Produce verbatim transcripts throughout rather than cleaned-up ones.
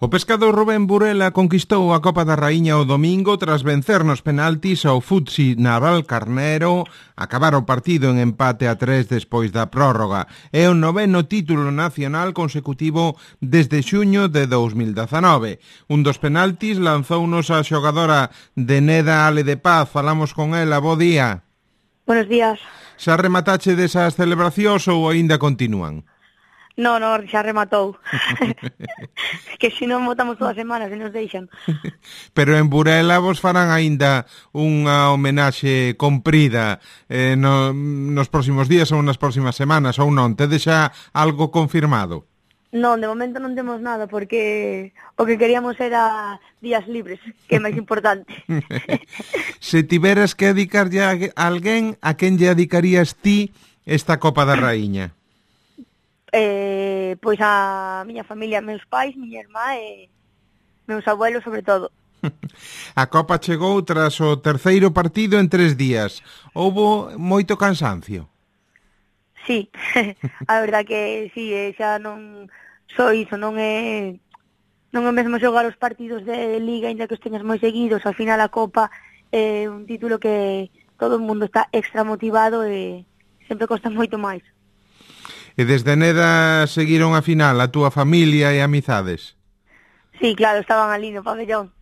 O pescador Rubén Burela conquistou a Copa da Raíña o domingo tras vencer nos penaltis ao Futsi Navalcarnero, acabar o partido en empate a tres despois da prórroga. É o noveno título nacional consecutivo desde xuño de dous mil dezanove. Un dos penaltis lanzounos a xogadora de Neda Ale de Paz. Falamos con ela. Bo día. Buenos días. Xa rematache desas celebracións ou aínda continúan? No, no, xa rematou. Que se non votamos todas as semanas e nos deixan. Pero en Burela vos farán aínda unha homenaxe comprida eh, no, nos próximos días ou nas próximas semanas, ou non? Tedes xa algo confirmado? Non, de momento non temos nada, porque o que queríamos era días libres, que é máis importante. Se tiveras que dedicarlle a alguén, a quen lle dedicarías ti esta Copa da Raíña? Eh, pois a miña familia, meus pais, miña irmá e meus abuelos sobre todo. A Copa chegou tras o terceiro partido en tres días. Houbo moito cansancio? Sí, a verdad que sí, xa non só iso, non é non é mesmo xogar os partidos de Liga, ainda que os teñas moi seguidos. Ao final a Copa é un título que todo o mundo está extra motivado e sempre costa moito máis. E desde Neda seguiron a final a túa familia e amizades? Sí, claro, estaban ali no pabellón.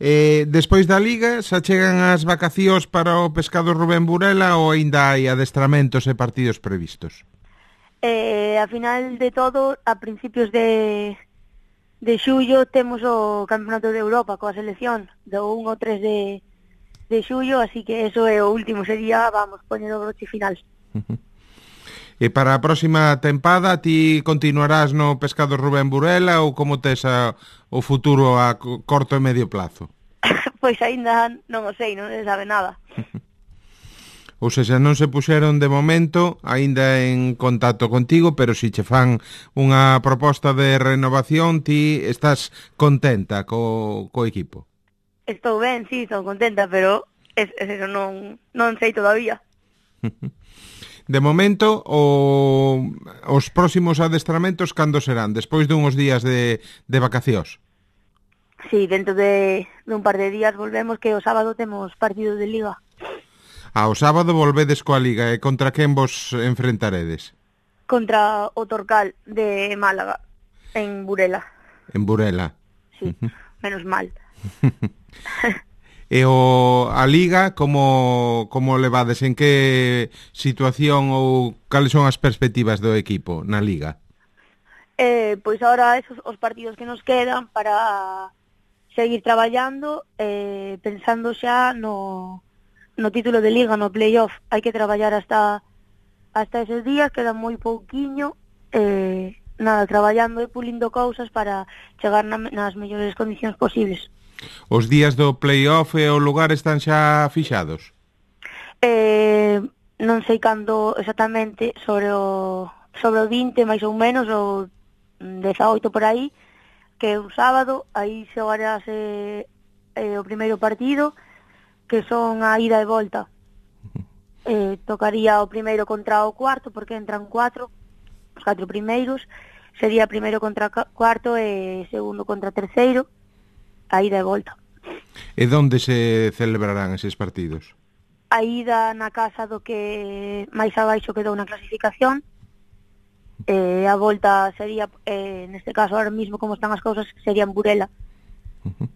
eh, despois da Liga, xa chegan as vacacións para o pescador Rubén Burela ou aínda hai adestramentos e partidos previstos? Eh, a final de todo, a principios de, de xullo, temos o Campeonato de Europa coa selección do un ao tres de, de xullo, así que eso é o último, sería, vamos, poñer o broche final. E para a próxima tempada ti continuarás no pescador Rubén Burela ou como tes a, o futuro a corto e medio plazo? Pois aínda non o sei, non se sabe nada. Ou seja, non se puxeron de momento aínda en contacto contigo, pero si che fan unha proposta de renovación, ti estás contenta co, co equipo? Estou ben, sí, estou contenta, pero es, es eso, non, non sei todavía. De momento, o, os próximos adestramentos cando serán? Despois dunhos días de, de vacacións? Sí, dentro de, de un par de días volvemos, que o sábado temos partido de Liga. Ah, o sábado volvedes coa Liga, e contra quen vos enfrentaredes? Contra o Torcal de Málaga, en Burela. En Burela. Sí, uh-huh. Menos mal. E o, a Liga, como, como levades? En que situación ou cales son as perspectivas do equipo na Liga? Eh, pois agora esos os partidos que nos quedan para seguir traballando, eh, pensando xa no, no título de Liga, no playoff. Hai que traballar hasta hasta esos días, queda moi pouquiño, eh, nada, traballando e pulindo cousas para chegar na, nas mellores condicións posibles. Os días do playoff e o lugar están xa fixados? Eh, non sei cando exactamente, sobre o sobre o vinte máis ou menos, ou dezaoito por aí, que é un sábado, aí xogarase eh, o primeiro partido, que son a ida e volta. Eh, tocaría o primeiro contra o cuarto, porque entran cuatro, os catro primeiros, sería primeiro contra cuarto e segundo contra terceiro, a ida e volta. E onde se celebrarán eses partidos? A ida na casa do que máis abaixo quedou na clasificación, e a volta sería, eh, neste caso, ahora mismo como están as cousas, sería en Burela. Uh-huh.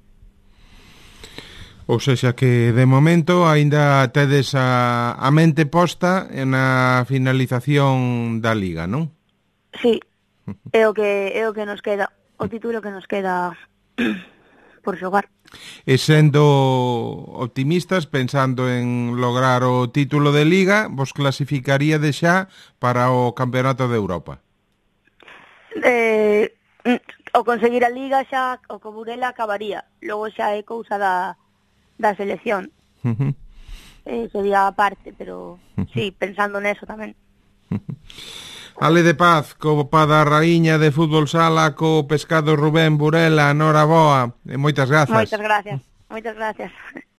Ou seja que, de momento, aínda tedes a, a mente posta na finalización da Liga, non? Sí, é o que, é o que nos queda, o título que nos queda por xogar. E sendo optimistas, pensando en lograr o título de Liga, vos clasificaría de xa para o Campeonato de Europa? Eh, o conseguir a Liga xa, o co Burela acabaría. Logo xa é cousa da, da selección. Uh-huh. Eh, sería aparte, pero uh-huh. Sí, pensando neso tamén. Uh-huh. Ale de Paz, Copa da Raíña de Fútbol Sala co pescado Rubén Burela, noraboa, e moitas grazas. Moitas gracias, moitas gracias.